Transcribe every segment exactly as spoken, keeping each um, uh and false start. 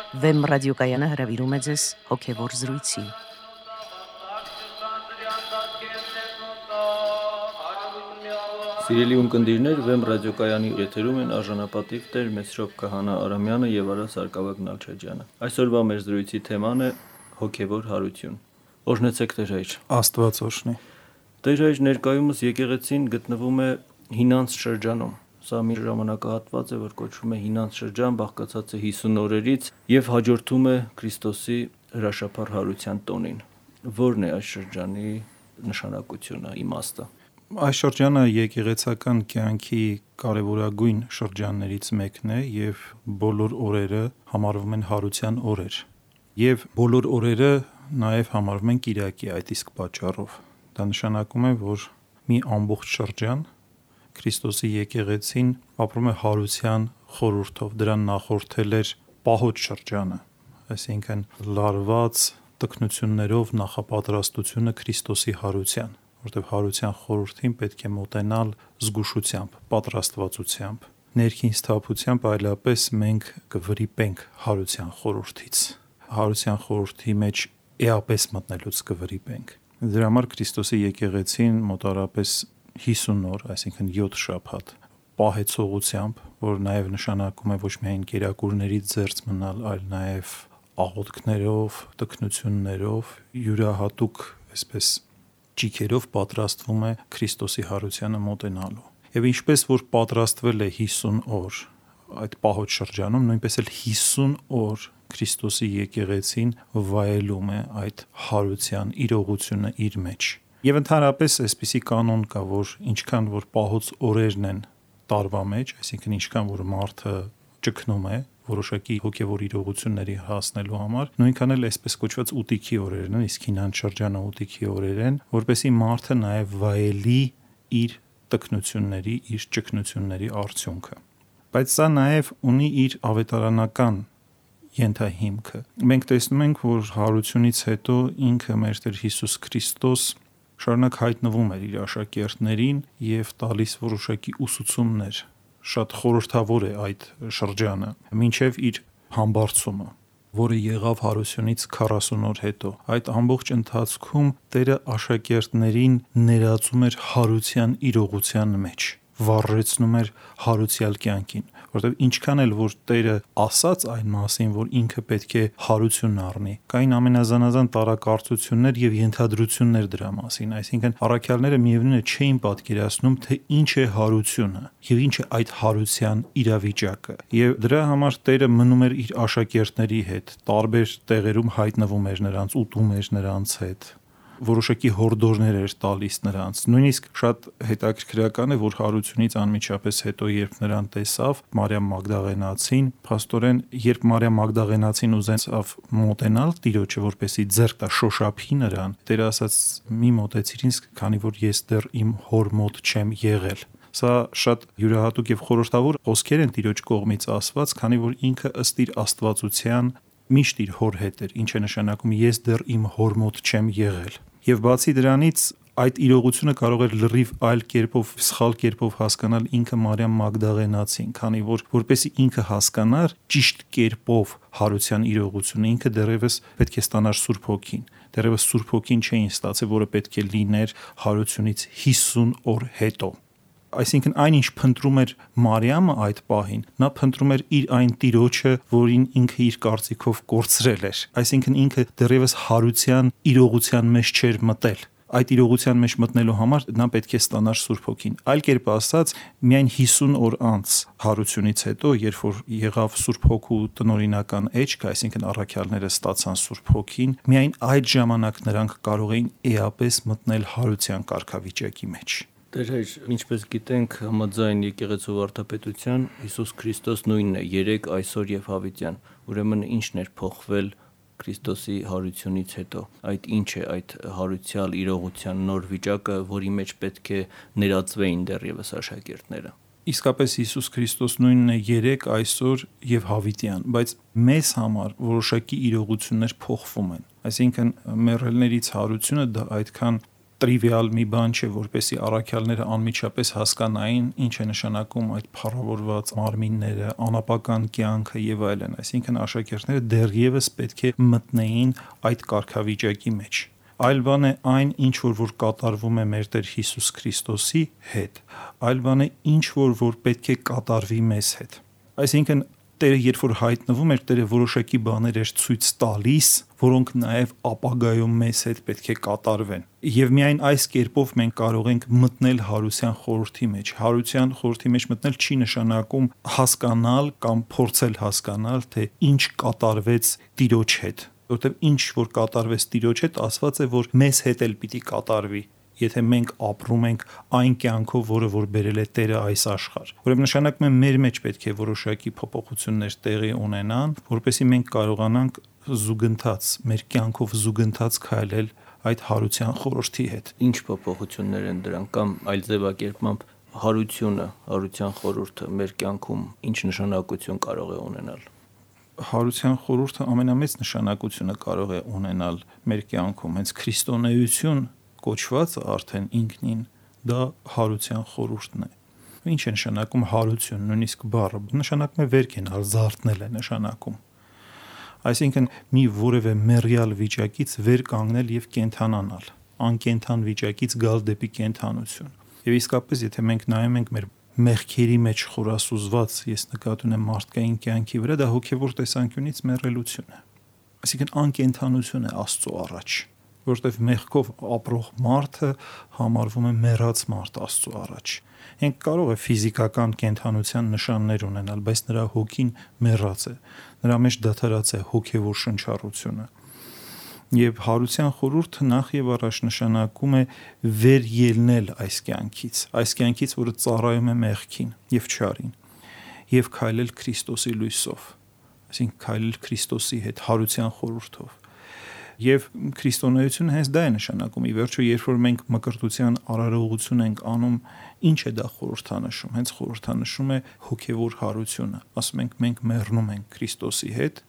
Վեմ ռադիոկայանը հրավիրում է ձեզ հոգևոր զրույցի։ Սիրելի ունկնդիրներ, Վեմ ռադիոկայանի եթերում են արժանապատիվ Տեր Մեսրոպ Քահանա Արամյանը եւ Արա Սարգսակ Նալչաջյանը։ Այսօրվա մեր զրույցի թեման է հոգևոր հարություն։ Օրհնեցեք Տեր հայր։ Աստված օրհնի։ Տեր հայր, ներկայումս եկեղեցին գտնվում է հինանց շրջանում։ Սա մի ժամանակահատված է, որ կոչվում է հինանց շրջան, բաղկացած է հիսուն օրերից եւ հաջորդում է Քրիստոսի հրաշափառ հարության տոնին։ Որն է այս շրջանի նշանակությունը, իմաստը։ Այս շրջանը եկեղեցական կյանքի կարևորագույն շրջաններից մեկն է եւ բոլոր օրերը համարվում են հարության օրեր։ Եվ բոլոր օրերը նաեւ համարվում են կիրակի, այդ իսկ պատճառով։ Դա նշանակում է, որ մի ամբողջ շրջան Քրիստոսի եկեղեցին ապրում է հարության խորհրդով, դրան նախորդել էր պահոց շրջանը, այսինքն լարված տքնություններով նախապատրաստությունը Քրիստոսի հարության, որտեղ հարության խորհրդին պետք է մոտենալ զգուշությամբ, պատրաստվածությամբ, ներքին սթափությամբ, այլապես մենք կվրիպենք հարության խորհրդից, հարության խորհրդի մեջ էապես մտնելուց կվրիպենք։ Դրա համար Քրիստոսի եկեղեցին մոտարապես հիսուն օր, այսինքն յոթ շաբաթ պահեցողությամբ, որ նաև նշանակում է ոչ միայն կերակուրներից զերծ մնալ, այլ նաև աղոթքներով, տքնություններով, յուրահատուկ այսպես ճիգերով պատրաստվում է Քրիստոսի հարությանը մոտենալու։ Եվ ինչպես որ պատրաստվել է հիսուն օր այդ պահոց շրջանում, նույնպես էլ հիսուն օր Քրիստոսի եկեղեցին վայելում է այդ հարության իրողությունը իր մեջ։ Եվ ընդհանրապես այսպիսի կանոն կա, որ ինչքան որ պահոց օրերն են տարվա մեջ, այսինքն ինչքան որ մարդը ճգնում է որոշակի հոգևոր իրողությունների հասնելու համար, նույնքան էլ այսպես կոչված ուտիքի օրերն են, իսկ հինանց շրջանը ուտիքի օրեր են, որպեսզի մարդը նաև վայելի իր տքնությունների, իր ճգնությունների արդյունքը։ Բայց սա նաև ունի իր ավետարանական ենթահիմքը։ Մենք տեսնում ենք, որ հարությունից հետո ինքը մեր Տեր Հիսուս Քրիստոս շարունակ հայտնվում էր իր աշակերտներին եւ տալիս որոշակի ուսուցումներ։ Շատ խորհրդավոր է այդ շրջանը, մինչև իր համբարձումը, որը եղավ հարությունից քառասուն օր հետո։ Այդ ամբողջ ընթացքում Տերը աշակերտներին ներածում էր հարության իրողության մեջ, վառեցնում էր հարուցյալ կյանքին, որտեղ ինչքան էլ որ Տերը ասաց այն մասին, որ ինքը պետք է հարություն առնի, կային ամենազանազան տարակարծություններ եւ ենթադրություններ դրա մասին, այսինքն առաքյալները միևնույն է չէին պատկերացնում, թե ինչ է հարությունը եւ ինչ է այդ հարության իրավիճակը։ Եվ դրա համար Տերը մնում էր իր աշակերտների հետ, տարբեր տեղերում հայտնվում էր նրանց, ուտում էր նրանց հետ, որոշակի հորդորներ էր տալիս նրանց։ Նույնիսկ շատ հետաքրքրական է, որ հարությունից անմիջապես հետո, երբ նրան տեսավ Մարիամ Մագդաղենացին, փաստորեն, երբ Մարիամ Մագդաղենացին ուզեցավ մոտենալ Տիրոջը, որպեսի ձեռք տա շոշափի նրան, Տերը ասաց՝ մի մոտեցիր ինձ, քանի որ ես դեռ իմ հոր մոտ չեմ եղել։ Սա շատ յուրահատուկ եւ խորհրդավոր խոսքեր են Տիրոջ կողմից ասված, քանի որ ինքը ըստ իր աստվածության միշտ իր հոր հետ էր, ինչ է նշանակում ես դեռ իմ հոր մոտ չեմ եղել։ Եվ բացի դրանից այդ իրողությունը կարող էր լրիվ այլ կերպով, սխալ կերպով հասկանալ ինքը Մարիամ Մագդաղենացին, քանի որ որպեսզի ինքը հասկանար ճիշտ կերպով հարության իրողությունը, ինքը դեռևս պետք է ստանար Սուրբ Հոգին։ Դեռևս Սուրբ Հոգին չէին ստացել, որը պետք է լիներ հարությունից հիսուն օր հետո։ Այսինքն այնինչ փնտրում էր Մարիամը այդ պահին, նա փնտրում էր իր այն Տիրոջը, որին ինքը իր կարծիքով կորցրել էր։ Այսինքն ինքը դեռևս հարության իրողության մեջ չէր մտել։ Այդ իրողության մեջ մտնելու համար նա պետք է ստանար Սուրբ Հոգին։ Այլ կերպ ասած, միայն հիսուն օր անց հարությունից հետո, երբ որ եղավ Սուրբ Հոգու տնօրինական էջքը, այսինքն առաքյալները ստացան Սուրբ Հոգին, միայն այդ ժամանակ նրանք կարող էին էապես մտնել հարության կարգավիճակի մեջ։ Տեր հայր, ինչպես գիտենք, համաձայն եկեղեցու վարդապետության Հիսուս Քրիստոս նույնն է երեկ, այսօր եւ հավիտյան։ Ուրեմն ինչն էր փոխվել Քրիստոսի հարությունից հետո։ Այդ ինչ է այդ հարուցյալ իրողության նոր վիճակը, որի մեջ պետք է ներածվեին դեռևս աշակերտները։ Իսկապես Հիսուս Քրիստոս նույնն է երեկ, այսօր եւ հավիտյան, բայց մեզ համար որոշակի իրողություններ փոխվում են։ Այսինքն մեռելներից հարությունը դա այդքան տրիվիալ մի բան չէ, որպեսզի առաքյալները անմիջապես հասկանային ինչ է նշանակում այդ փառավորված մարմինները, անապական կյանքը եւ այլն, այսինքն աշակերտները դեռևս պետք է մտնեին այդ կարգավիճակի մեջ։ Այլ բան է այն, ինչ որ որ կատարվում է մեր Տեր Հիսուս Քրիստոսի հետ, այլ բան է ինչ որ որ պետք է կատարվի մեզ հետ։ Այսինքն Տերը երբ որ հայտնվում էր, Տերը որոշակի բաներ էր ցույց տալիս, որոնք նաև ապագայում մեզ հետ պետք է կատարվեն։ Եվ միայն այս կերպով մենք կարող ենք մտնել հարության խորհրդի մեջ։ Հարության խորհրդի մեջ մտնել չի նշանակում հասկանալ կամ փորձել հասկանալ, թե ինչ կատարվեց Տիրոջ հետ, որովհետև ինչ որ կատարվեց Տիրոջ հետ, ասված է, որ մեզ հետ էլ պիտի կատարվի, եթե մենք ապրում ենք այն կյանքով, որը որ բերել է Տերը այս աշխարհ։ Ուրեմն նշանակում է մեր մեջ պետք է որոշակի փոփոխություններ տեղի ունենան, որպեսզի մենք կարողանանք զուգընթաց, մեր կյանքով զուգընթաց քայլել այդ հարության խորհրդի հետ։ Ինչ փոփոխություններ են դրանք, կամ այլ ձևակերպմամբ հարությունը, հարության խորհուրդը մեր կյանքում ինչ նշանակություն կարող է ունենալ։ Հարության խորհուրդը ամենամեծ նշանակությունը կարող է ունենալ մեր կյանքում, հենց քրիստոնեություն կոչվածը արդեն ինքնին դա հարության խորհուրդն է։ Ինչ է նշանակում հարություն, նույնիսկ բառը նշանակում է վեր կենալ, զարթնել է նշանակում։ Այսինքն մի որևէ մեռյալ վիճակից վեր կանգնել եւ կենթանանալ, անկենթան վիճակից գալ դեպի կենթանություն։ Եվ իսկապես եթե մենք նայում ենք մեր մեղքերի մեջ խորասուզված, ես նկատի ունեմ մարդկային կյանքի վրա, դա հոգեվոր տեսանկյունից մեռելություն է։ Այսինքն անկենթանություն է Աստծո առաջ, որտեղ մեղքով ապրող մարդը համարվում է մեռած մարդ Աստծո առաջ։ Ինք կարող է ֆիզիկական կենթանության նշաններ ունենալ, բայց նրա հոգին մեռած է, նրա մեջ դադարած է հոգևոր շնչառությունը։ Եվ հարության խորհուրդը նախ եւ առաջ նշանակում է վեր ելնել այս կյանքից, այս կյանքից, որը ծառայում է մեղքին եւ չարին, եւ քայլել Քրիստոսի լույսով, այսինքն քայլել Քրիստոսի հետ հարության խորհուրդով։ Եվ քրիստոնեությունը հենց դա է նշանակում։ Ի վերջո, երբ որ մենք մկրտության արարողություն ենք անում, ինչ է դա խորհրդանշում։ Հենց խորհրդանշում է հոգևոր հարությունը։ Ասում ենք, մենք մեռնում ենք Քրիստոսի հետ,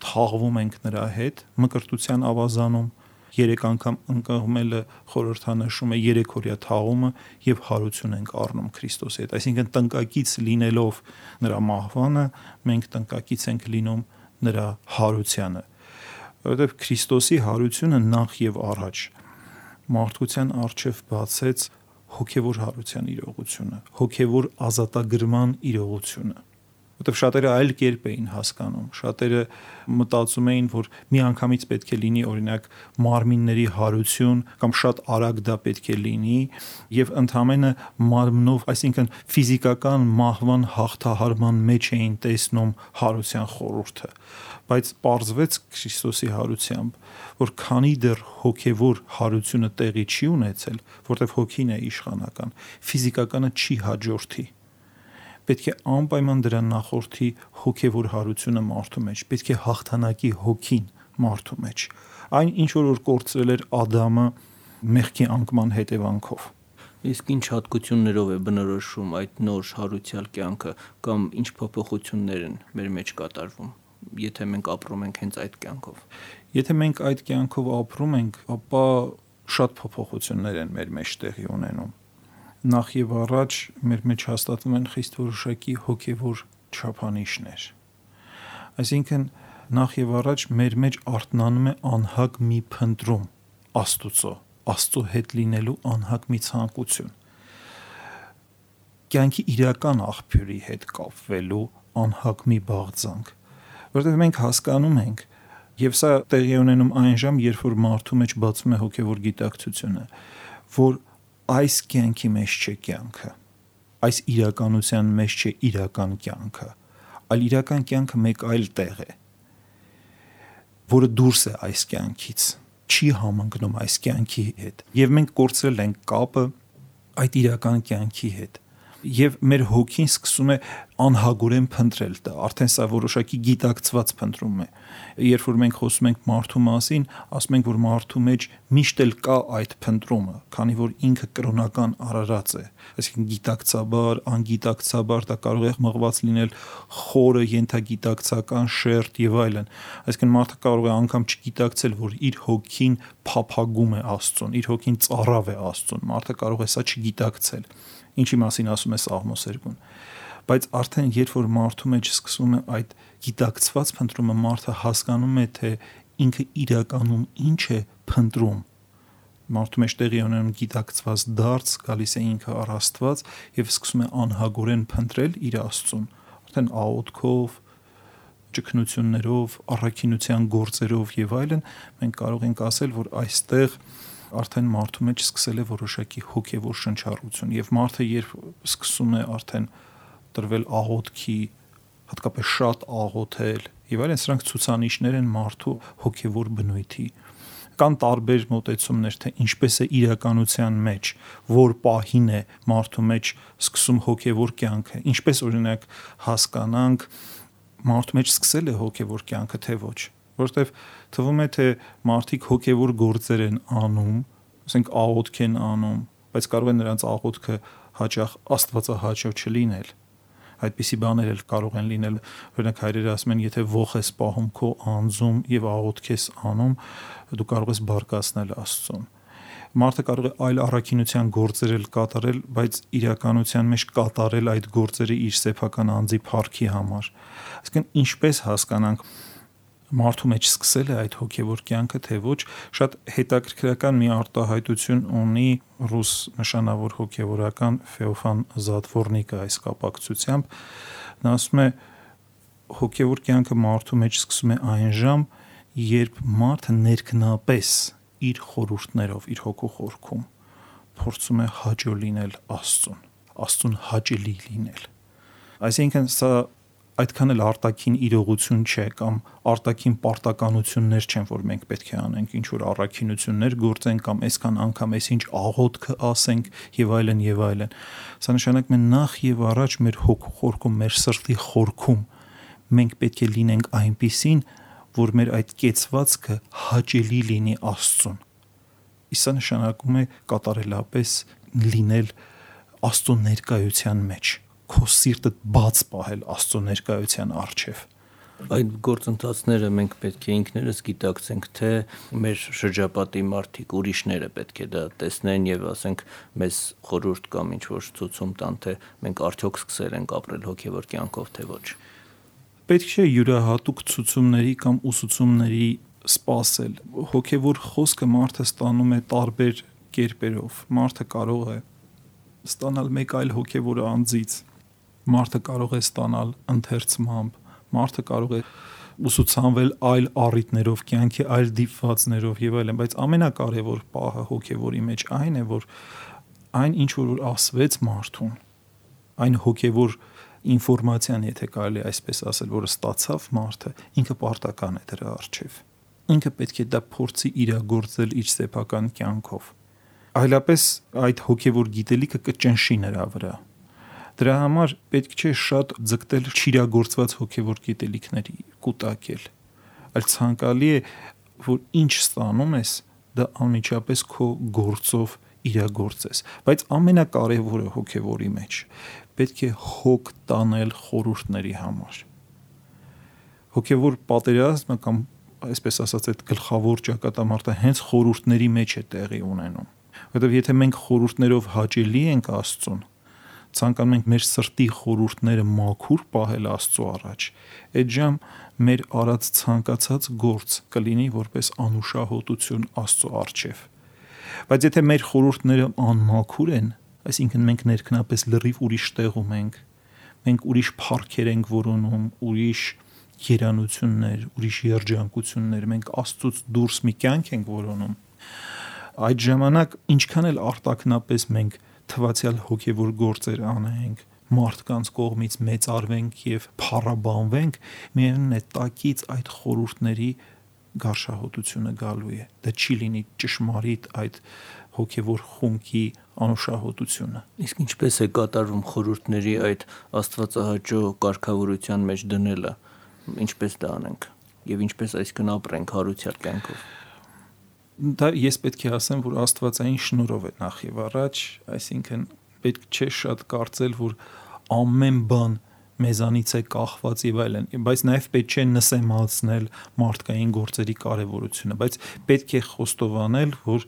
թաղվում ենք նրա հետ, մկրտության ավազանում, երեք անգամ ընկղմելը խորհրդանշում է երեքօրյա թաղումը եւ հարություն ենք առնում Քրիստոսի հետ։ Այսինքն տնկակից լինելով նրա մահվանը, մենք տնկակից ենք լինում նրա հարությանը։ Որովհետև Քրիստոսի հարությունը նախ եւ առաջ մարդկության առջև բացեց հոգևոր հարության իրողությունը, հոգևոր ազատագրման իրողությունը։ Որովհետև շատերը այլ կերպ էին հասկանում, շատերը մտածում էին, որ միանգամից պետք է լինի օրինակ մարմինների հարություն կամ շատ արագ դա պետք է լինի եւ ընդհանրապես մարմնով, այսինքն ֆիզիկական մահվան հաղթահարման մեջ էին տեսնում հարության խորհուրդը, բայց պարզվեց Քրիստոսի հարությամբ, որ քանի դեռ հոգևոր հարությունը տեղի չի ունեցել, որտեղ հոգին է իշխանական, ֆիզիկականը չի հաջորդի։ Պետք է անպայման դրա նախորդի հոգևոր հարությունը մարդու մեջ, պետք է հաղթանակի հոգին մարդու մեջ։ Այն ինչ որ կորցրել էր Ադամը մեղքի անկման հետևանքով։ Իսկ ինչ հատկություններով է բնորոշում այդ նոր հարության կյանքը կամ ինչ փոփոխություններ են մեր մեջ կատարվում, եթե մենք ապրում ենք հենց այդ կյանքով։ Եթե մենք այդ կյանքով ապրում ենք, ապա շատ փոփոխություններ են մեր մեջ տեղի ունենում։ Նախ եւ առաջ մեր մեջ հաստատվում են խիստ որոշակի հոգևոր չափանիշներ։ Այսինքն նախ եւ առաջ մեր մեջ արթնանում է անհագ մի փնտրում Աստծո, Աստծո հետ լինելու անհագ մի ցանկություն։ Կյանքի իրական աղբյուրի հետ կապվելու անհագ մի բաղձանք, որովհետեւ մենք հասկանում ենք, եւ սա տեղի ունենում այն ժամ, երբ որ մարդու մեջ բացվում է հոգևոր գիտակցությունը, որ այս կյանքի մեջ չէ կյանքը, այս իրականության մեջ չէ իրական կյանքը, այլ իրական կյանքը մեկ այլ տեղ է, որը դուրս է այս կյանքից, չի համընկնում այս կյանքի հետ, եւ մենք կորցրել ենք կապը այդ իրական կյանքի հետ։ Եվ մեր հոգին սկսում է անհագորեն փնտրել, դա արդեն սա որոշակի գիտակցված փնտրում է։ Երբ որ մենք խոսում ենք մարդու մասին, ասում ենք, որ մարդու մեջ միշտ էլ կա այդ փնտրումը, քանի որ ինքը կրոնական արարած է, այսինքն գիտակցաբար, անգիտակցաբար դա կարող է մղված լինել խորը ենթագիտակցական շերտ եւ այլն։ Այսինքն մարդը կարող է անգամ չգիտակցել, որ իր հոգին փափագում է Աստծուն, իր հոգին ծառավ է Աստծուն, մարդը կարող է սա չգիտակցել, ինչի մասին ասում է Սաղմոս երկում։ Բայց արդեն երբ որ մարդու մեջ սկսվում է այդ գիտակցված փնտրումը, մարդը հասկանում է, թե ինքը իրականում ինչ է փնտրում։ Մարդու մեջ տեղի ունենում գիտակցված դարձ, գալիս է ինքը առ Աստված եւ սկսում է անհագորեն փնտրել իր Աստծուն, արդեն աղոթքով, ճգնություններով, առաքինության գործերով եւ այլն, մենք կարող ենք ասել, որ այստեղ արդեն մարդու մեջ սկսել է որոշակի հոգևոր շնչառություն եւ մարդը երբ սկսում է արդեն տրվել աղոթքի, հատկապես շատ աղոթել եւ այլն, սրանք ցուցանիշներ են մարդու հոգևոր բնույթի։ Կան տարբեր մոտեցումներ, թե ինչպես է իրականության մեջ, որ պահին է մարդու մեջ սկսում հոգևոր կյանքը, ինչպես օրինակ հասկանանք մարդու մեջ սկսել է հոգևոր կյանքը, թե ոչ, որովհետեւ թվում է, թե մարդիկ հոգևոր գործեր են անում, ասենք աղոթք են անում, բայց կարող է նրանց աղոթքը հաճախ աստվածահաճո չլինել։ Այդպիսի բաներ էլ կարող են լինել, օրինակ հայրերը ասում են, եթե ոխ ես պահում քո անձում եւ աղոթք ես անում, դու կարող ես բարկացնել Աստծուն։ Մարդը կարող է այլ առաքինության գործեր էլ կատարել, բայց իրականության մեջ կատարել այդ գործերը իր սեփական անձի փառքի համար։ Այսինքն ինչպես հասկանանք մարդու մեջ սկսել է այդ հոգևոր կյանքը, թե ոչ, շատ հետաքրքրական մի արտահայտություն ունի ռուս նշանավոր հոգևորական Ֆեոֆան Զատվորնիկը այս կապակցությամբ։ Նա ասում է, հոգևոր կյանքը մարդու մեջ սկսում է այն ժամ, երբ մարդը ներքնապես իր խորհուրդներով, իր հոգու խորքում փորձում է հաճո լինել Աստծուն, Աստծուն հաճելի լինել։ Այսինքն սա այդքան էլ արտաքին իրողություն չէ կամ արտաքին պարտականություններ չեն, որ մենք պետք է անենք, ինչ որ առաքինություններ գործենք կամ այսքան անգամ այսինչ աղոթքը ասենք եւ այլն եւ այլն։ Սա նշանակում է նախ եւ առաջ մեր հոգու խորքում, մեր սրտի խորքում մենք պետք է լինենք այնպիսին, որ մեր այդ կեցվածքը հաճելի լինի Աստծուն։ Իսկ սա նշանակում է կատարելապես լինել Աստծո ներկայության մեջ, քո սիրտը բաց պահել Աստծո ներկայության առջև։ Այդ գործընթացները մենք պետք է ինքներս գիտակցենք, թե մեր շրջապատի մարդիկ, ուրիշները պետք է դա տեսնեն եւ ասենք մեզ խորհուրդ կամ ինչ որ ցուցում տան, թե մենք արդյոք սկսել ենք ապրել հոգեվոր կյանքով, թե ոչ։ Պետք չէ յուրահատուկ ցուցումների կամ ուսուցումների սпасել։ Հոգևոր խոսքը մարդը ստանում է տարբեր կերպերով։ Մարդը կարող է ստանալ մեկ այլ հոգևոր անձից, մարդը կարող է ստանալ ընթերցմամբ, մարդը կարող է ուսուցանվել այլ առիթներով, կյանքի այլ դիպվածներով եւ այլն, բայց ամենակարևոր պահը հոգևորի մեջ այն է, որ այն ինչ որ ասվեց մարդուն, այն հոգևոր ինֆորմացիան, եթե կարելի այսպես ասել, որը ստացավ մարդը, ինքը պարտական է դրա առջև։ Ինքը պետք է դա փորձի իրագործել իր սեփական կյանքով։ Այլապես այդ հոգևոր գիտելիքը կճնշի նրա վրա։ Դրա համար պետք չէ շատ ձգտել չիրագործված հոգևոր գիտելիքների կուտակել, այլ ցանկալի է, որ ինչ ստանում ես, դա անմիջապես քո գործով իրագործես։ Բայց ամենակարևորը հոգևորի մեջ պետք է հոգ տանել խորհուրդների համար։ Հոգևոր պատերազմը կամ այսպես ասած այդ գլխավոր ճակատամարտը հենց խորհուրդների մեջ է տեղի ունենում։ Որովհետև եթե մենք խորհուրդներով հաճելի ենք Աստծուն, ցանկանում ենք մեր սրտի խորհուրդները մաքուր պահել Աստծո առաջ, այդ ժամ մեր արած ցանկացած գործ կլինի որպես անուշահոտություն Աստծո առջև։ Բայց եթե մեր խորհուրդները անմաքուր են, այսինքն մենք ներքնապես լրիվ ուրիշ տեղում ենք, մենք ուրիշ փառքեր ենք որոնում, ուրիշ երանություններ, ուրիշ երջանկություններ, մենք Աստծուց դուրս մի կյանք ենք որոնում, այդ ժամանակ ինչքան էլ արտաքնապես մենք թվացial հոգևոր գործեր անենք, մարդկանց կողմից մեծարվենք եւ փառաբանվենք, միևնույն է տակից այդ խորհուրդների գարշահոտությունը գալու է։ Դա չի լինի ճշմարիտ այդ հոգևոր խունկի անուշահոտությունը։ Իսկ ինչպես է կատարվում խորհուրդների այդ աստվածահաճո կարգավորության մեջ դնելը, ինչպես դա անենք եւ ինչպես այսքան ապրենք հարության կյանքով։ Դա ես պետք է ասեմ, որ աստվածային շնորհով է նախ եւ առաջ, այսինքն պետք չէ շատ կարծել, որ ամեն բան մեզանից է կախված եւ այլն, բայց նաեւ պետք չէ նսեմացնել մարդկային գործերի կարեւորությունը, բայց պետք է խոստովանել, որ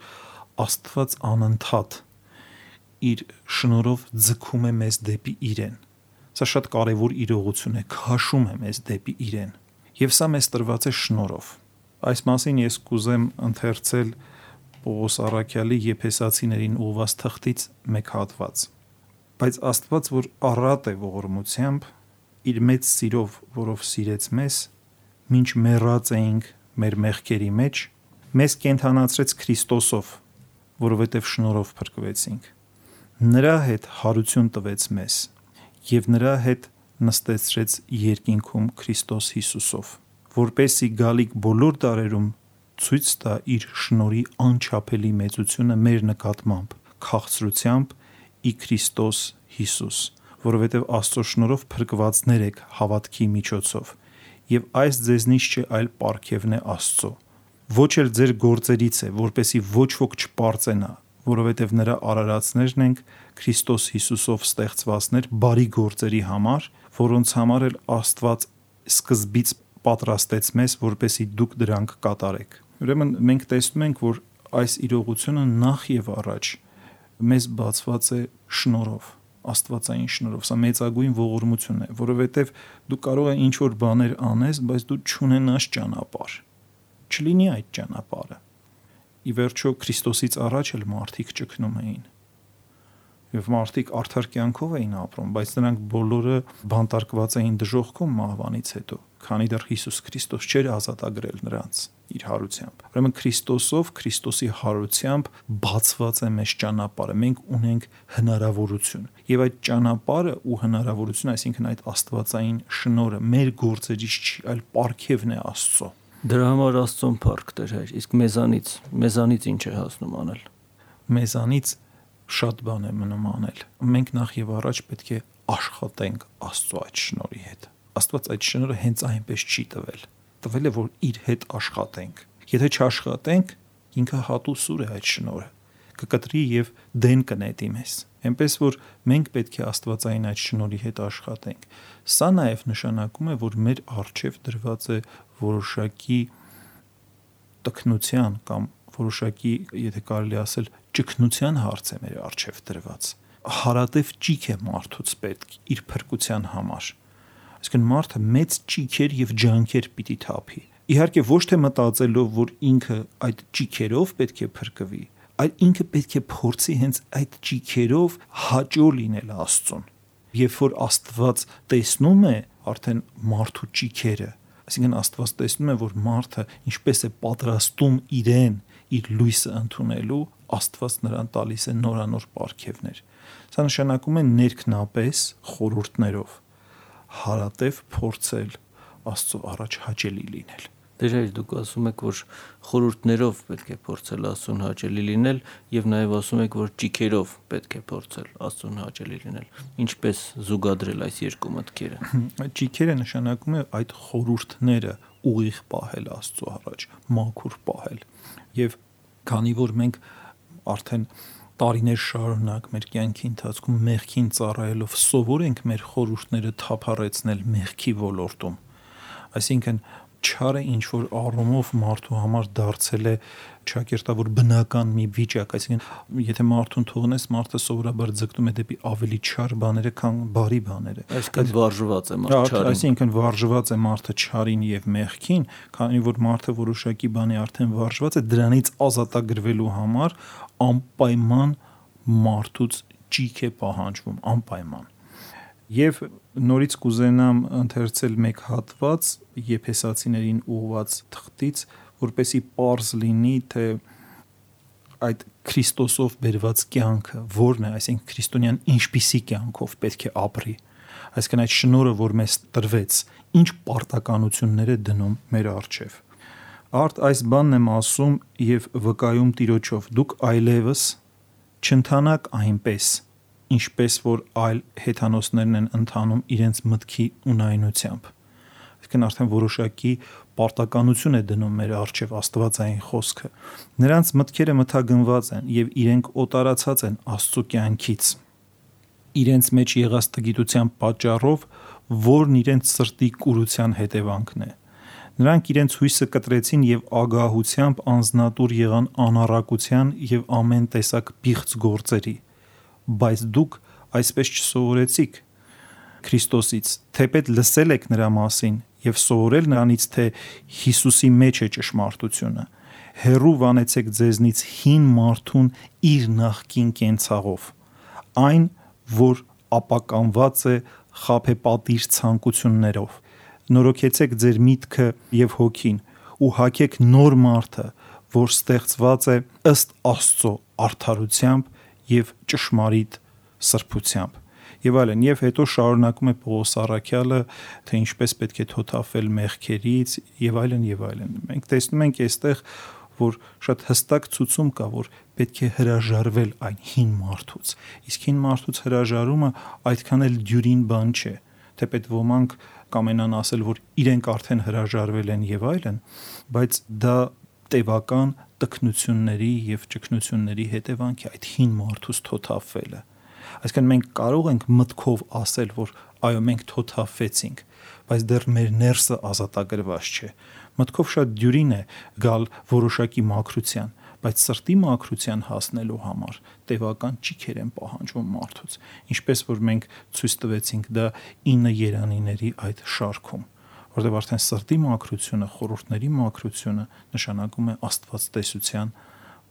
Աստված անընդհատ իր շնորհով ձգում է մեզ դեպի իրեն։ Սա շատ կարևոր իրողություն է, քաշում է մեզ դեպի իրեն։ Եվ սա մեզ տրված է շնորհով։ Այս մասին ես կուզեմ ընթերցել Պողոս առաքյալի Եփեսացիներին ուղված թղթից մեկ հատված։ Բայց Աստված, որ առատ է ողորմությամբ, իր մեծ սիրով, որով սիրեց մեզ, մինչ մեռած էինք մեր մեղքերի մեջ, մեզ կենդանացրեց Քրիստոսով, որովհետև շնորհով փրկվեցինք։ Նրա հետ հարություն տվեց մեզ եւ նրա հետ նստեցրեց երկինքում Քրիստոս Հիսուսով, որպեսզի գալիք բոլոր դարերում ցույց տա իր շնորհի անչափելի մեծությունը մեր նկատմամբ, քաղցրությամբ ի Քրիստոս Հիսուս, որովհետև Աստծո շնորհով փրկվածներ եք հավատքի միջոցով, եւ այս ձեզնից չէ, այլ պարգևն է Աստծո։ Ոչ էլ ձեր գործերից է, որպեսզի ոչ ոք չպարծենա, որովհետև նրա արարածներն ենք Քրիստոս Հիսուսով ստեղծվածներ բարի գործերի համար, որոնց համար էլ Աստված սկզբից պատրաստեց մեզ, որպեսզի դուք դրանք կատարեք։ Ուրեմն մենք տեսնում ենք, որ այս իրողությունը նախ եւ առաջ մեզ բացված է շնորհով, աստվածային շնորհով։ Սա մեծագույն ողորմություն է, որովհետև դու կարող ես ինչ որ բաներ անես, բայց դու չունենաս ճանապարհ։ Չլինի այդ ճանապարհը։ Ի վերջո Քրիստոսից առաջ էլ մարդիկ ճգնում էին։ Եվ մարդիկ արդար կյանքով էին ապրում, բայց նրանք բոլորը բանտարկված էին դժոխքում մահվանից հետո, քանի դեռ Հիսուս Քրիստոս չէր ազատագրել նրանց իր հարությամբ։ Ուրեմն Քրիստոսով, Քրիստոսի հարությամբ բացված է մեզ ճանապարհը։ Մենք ունենք հնարավորություն։ Եւ այդ ճանապարհը ու հնարավորությունը, այսինքն այդ աստվածային շնորհը մեր գործերից չի, այլ պարգևն է Աստծո։ Դրա համար Աստծուն փառք Տեր Հայր, իսկ մեզանից, մեզանից ինչ է հասնում անել։ Մեզանից շատ բան է մնում անել։ Մենք նախ եւ առաջ պետք է աշխատենք Աստծո այդ շնորհի հետ։ Աստված այդ շնորհը հենց այնպես չի տվել։ Տվել է, որ իր հետ աշխատենք։ Եթե չաշխատենք, ինքը հատուսուր է այդ շնորհը։ Կկտրի եւ դեն կնետի մեզ։ Այնպես որ մենք պետք է աստվածային այդ շնորհի հետ աշխատենք։ Սա նաեւ նշանակում է, որ մեր առջև դրված է որոշակի տքնության կամ որոշակի, եթե կարելի ասել, ճգնության հարց է մեր առջև դրված։ Հարատև ճիք է մարդուց պետք իր փրկության համար։ Այսինքն մարդը մեծ ճիքեր եւ ջանքեր պիտի թափի։ Իհարկե ոչ թե մտածելով, որ ինքը այդ ճիքերով պետք է փրկվի, այլ ինքը պետք է փորձի հենց այդ ճիքերով հաճո լինել Աստծուն։ Երբ որ Աստված տեսնում է արդեն մարդու ճիքերը, այսինքն Աստված տեսնում է, որ մարդը ինչպես է պատրաստում իրեն իր լույսը ընդունելու, Աստված նրան տալիս է նորանոր պարգևներ։ Սա նշանակում է ներքնապես խորհուրդներով հարատև փորձել Աստծո առաջ հաճելի լինել։ Դեր այլ դուք ասում եք, որ խորհուրդներով պետք է փորձել Աստծուն հաճելի լինել եւ նաեւ ասում եք, որ ճիքերով պետք է փորձել Աստծուն հաճելի լինել։ Ինչպես զուգադրել այս երկու մտքերը։ Այդ ճիքերը նշանակում է այդ խորհուրդները ուղիղ պահել Աստծո առաջ, մաքուր պահել։ Եվ քանի որ մենք արդեն տարիներ շարունակ մեր կյանքի ընթացքում մեղքին ծառայելով սովոր ենք մեր խորհուրդները թափառեցնել մեղքի ոլորտում, այսինքն չարը ինչ որ առումով մարդու համար դարձել է ճակերտավոր բնական մի վիճակ, այսինքն եթե մարդուն թողնես, մարդը սովորաբար ձգտում է դեպի ավելի չար բաները, քան բարի բաները։ Այսինքն վարժված է մարդը չարին։ Այսինքն վարժված է մարդը չարին եւ մեղքին, քանի որ մարդը որոշակի բանի արդեն վարժված է, դրանից ազատագրվելու համար անպայման մարդուց ճիք է պահանջվում, անպայման։ Եվ նորից կուզենամ ընթերցել մեկ հատված Եփեսացիներին ուղված թղթից, որպեսզի պարզ լինի, թե այդ Քրիստոսով բերված կյանքը որն է, այսինքն քրիստոնյան ինչպիսի կյանքով պետք է ապրի։ Այսինքն այդ շնորհը, որ մեզ տրվեց, ինչ պարտականություններ է դնում մեր առջև։ Արդ այս բանն եմ ասում եւ վկայում Տիրոջով, դուք այլևս չընթանաք այնպես, ինչպես որ այլ հեթանոսներն են ընթանում իրենց մտքի ունայնությամբ։ Այսինքն արդեն որոշակի պարտականություն է դնում մեր առջև Աստվածային խոսքը։ Նրանց մտքերը մթագնված են եւ իրենք օտարացած են Աստծո կյանքից։ Իրենց մեջ եղած տգիտության պատճառով, որն իրենց սրտի կուրության հետևանքն է։ Նրանք իրենց հույսը կտրեցին եւ ագահությամբ անznատուր եղան անառակության եւ ամեն տեսակ պիղծ գործերի, բայց դուք այսպես չսովորեցիք Քրիստոսից, թեպետ լսել եք նրա մասին եւ սովորել նրանից, թե Հիսուսի մեջ է ճշմարտությունը, հեռու վանեցեք ձեզնից հին մարդուն իր նախկին կենցաղով, այն, որ ապականված է խաբեպատիժ ցանկություններով, նորոգեցեք ձեր միտքը եւ հոգին ու հագեք նոր մարդը, որ ստեղծված է ըստ Աստծո արդարությամբ եւ ճշմարիտ սրբությամբ։ Եվ այլն, եւ հետո շարունակում է Պողոս առաքյալը, թե ինչպես պետք է թոթափել մեղքերից եւ այլն եւ այլն։ Մենք տեսնում ենք այստեղ, որ շատ հստակ ցուցում կա, որ պետք է հրաժարվել այն հին մարդուց։ Իսկ հին մարդուց հրաժարումը այդքան էլ դյուրին բան չէ, թեպետ ոմանք կամենան ասել, որ իրենք արդեն հրաժարվել են եւ այլն, բայց դա տևական տքնությունների եւ ճգնությունների հետևանք է այդ հին մարդուց թոթափվելը։ Այսինքն մենք կարող ենք մտքով ասել, որ այո, մենք թոթափվեցինք, բայց դեռ մեր ներսը ազատագրված չէ։ Մտքով շատ դյուրին է գալ որոշակի մաքրության, բայց սրտի մաքրության հասնելու համար տևական ճիգեր են պահանջվում մարդուց, ինչպես որ մենք ցույց տվեցինք դա ինը երանիների այդ շարքում, որտեղ արդեն սրտի մաքրությունը, խորհուրդների մաքրությունը նշանակում է աստվածտեսության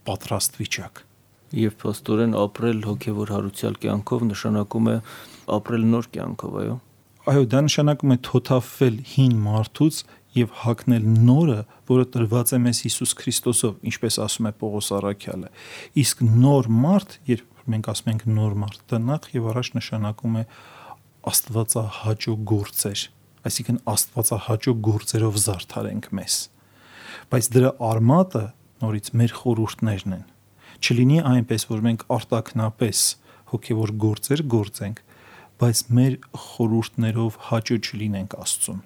պատրաստ վիճակ։ Եվ փաստորեն ապրել հոգևոր հարության կյանքով նշանակում է ապրել նոր կյանքով, այո։ Այո, դա նշանակում է թոթափվել հին մարդուց եւ հագնել նորը, որը տրված է մեզ Հիսուս Քրիստոսով, ինչպես ասում է Պողոս առաքյալը։ Իսկ նոր մարդ, երբ մենք ասում ենք նոր մարդ, դա նախ եւ առաջ նշանակում է աստվածահաճո գործեր, այսինքն աստվածահաճո գործերով զարդարենք մեզ։ Բայց դրա արմատը նորից մեր խորհուրդներն են։ Չլինի այնպես, որ մենք արտակնապես հոգևոր գործեր գործենք, բայց մեր խորհուրդներով հաճո չլինենք Աստծուն։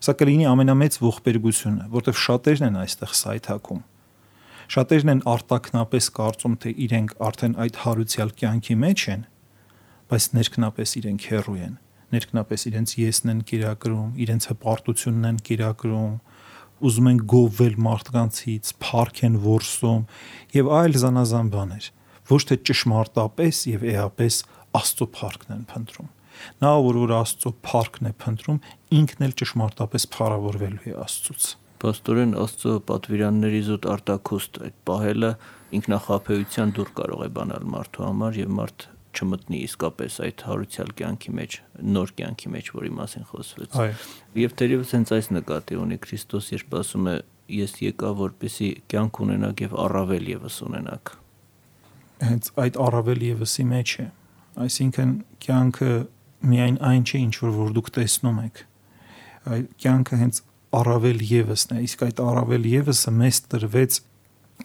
Սա կլինի ամենամեծ ողբերգությունը, որտեղ շատերն են այստեղ սայթաքում։ Շատերն են արտակնապես կարծում, թե իրենք արդեն այդ հարուցյալ կյանքի մեջ են, բայց ներքնապես իրենք հեռու են, ներքնապես իրենց եսն են կերակրում, իրենց հպարտությունն են կերակրում, ուզում են գովվել մարդկանցից, փառք են որսում եւ այլ զանազան բաներ, ոչ թե ճշմարտապես եւ էապես Աստծո փառքն են փնտրում։ Նա, որ որ Աստծո փառքն է փնտրում, ինքն էլ ճշմարտապես փառավորվելու է Աստծուց։ Պաստորեն Աստծո պատվիրանների զուտ արտակուստ այդ պահելը ինքնախաբեության դուր կարող է բանալ մարդու համար եւ մարդ չմտնի իսկապես այդ հարուցյալ կյանքի մեջ, նոր կյանքի մեջ, որի մասին խոսվեց։ Եվ թերևս հենց այս նկատի ունի Քրիստոս, երբ ասում է ես եկա, որպեսզի կյանք ունենաք եւ առավել եւս ունենաք։ Հենց այդ առավել եւսի մեջ է, այսինքն կյանքը միայն այն չէ, ինչ որ որ դուք տեսնում եք։ Այդ կյանքը հենց առավել եւսն է, իսկ այդ առավել եւսը մեզ տրվեց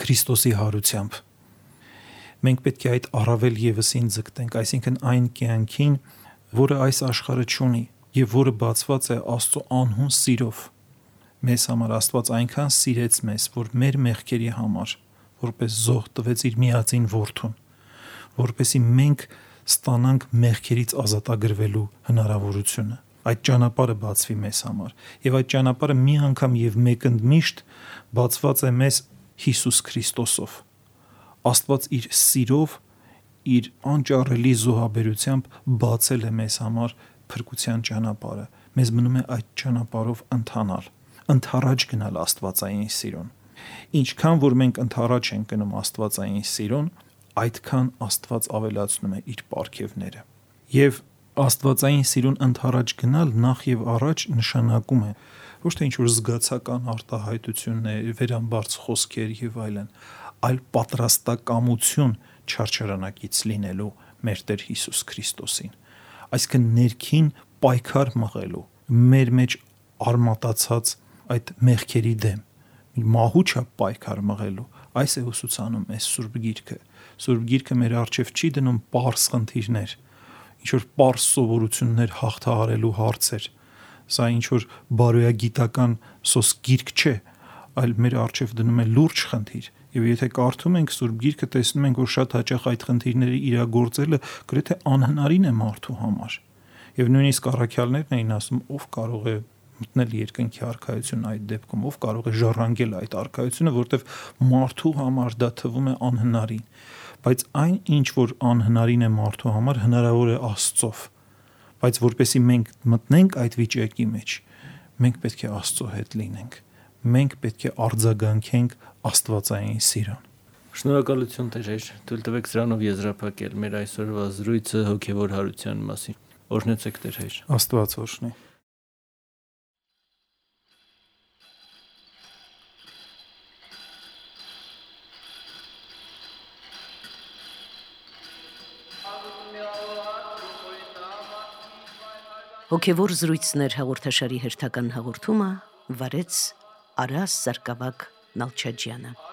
Քրիստոսի հարությամբ։ Մենք պետք է այդ առավել եւսին ձգտենք, այսինքն այն կյանքին, որը այս աշխարհը չունի եւ որը բացված է Աստծո անհուն սիրով։ Մեզ համար Աստված այնքան սիրեց մեզ, որ մեր մեղքերի համար որպես զոհ տվեց իր միածին որդուն, որպեսզի մենք ստանանք մեղքերից ազատագրվելու հնարավորությունը։ Այդ ճանապարհը բացվի մեզ համար, եւ այդ ճանապարհը մի անգամ եւ մեկընդմիշտ բացված է մեզ Հիսուս Քրիստոսով։ Աստված իր սիրով, իր անճարելի զոհաբերությամբ բացել է մեզ համար փրկության ճանապարհը։ Մեզ մնում է այդ ճանապարհով ընթանալ, ընթառաջ գնալ Աստվածային սիրուն։ Ինչքան որ մենք ընթառաջ ենք գնում Աստվածային սիրուն, այդքան Աստված ավելացնում է իր պարգևները։ Եվ Աստվածային սիրուն ընթառաջ գնալ նախ եւ առաջ նշանակում է ոչ թե ինչ-որ զգացական արտահայտություններ, վերամբարձ խոսքեր եւ այլն, այլ պատրաստակամություն չարչարանակից լինելու մեր Տեր Հիսուս Քրիստոսին, այսինքն ներքին պայքար մղելու մեր մեջ արմատացած այդ մեղքերի դեմ, մահու չափ պայքար մղելու։ Այս է ուսուցանում այս Սուրբ Գիրքը։ Սուրբ Գիրքը մեր առջև չի դնում պարզ խնդիրներ, ինչ որ պարզ սովորություններ հաղթահարելու հարցեր։ Սա ինչ որ բարոյագիտական սոս գիրք չէ, այլ մեր առջև դնում է լուրջ խնդիր։ Եվ եթե կարդում ենք Սուրբ Գիրքը, տեսնում ենք, որ շատ հաճախ այդ խնդիրների իրագործելը գրեթե անհնարին է մարդու համար։ Եվ նույնիսկ առաքյալներն էին ասում, ով կարող է մտնել երկնքի արքայություն այդ դեպքում, ով կարող է ժառանգել այդ արքայությունը, որտեվ մարդու համար դա թվում է անհնարին։ Բայց այն, ինչ որ անհնարին է մարդու համար, հնարավոր է Աստծով։ Բայց որպեսզի մենք մտնենք այդ վիճակի մեջ, մենք պետք է Աստծո հետ լինենք։ Մենք պետք է արձագանքենք աստվածային սիրուն։ Շնորհակալություն Տեր, թույլ տվեք սրանով եզրափակել մեր այսօրվա զրույցը հոգևոր հարության մասին։ Օրհնեցեք Տեր Հայր։ Աստված օրհնի։ Հոգևոր զրույցներ հաղորդաշարի հերթական հաղորդումը վարեց Արաս Սարգսակ Նալչաջյանը։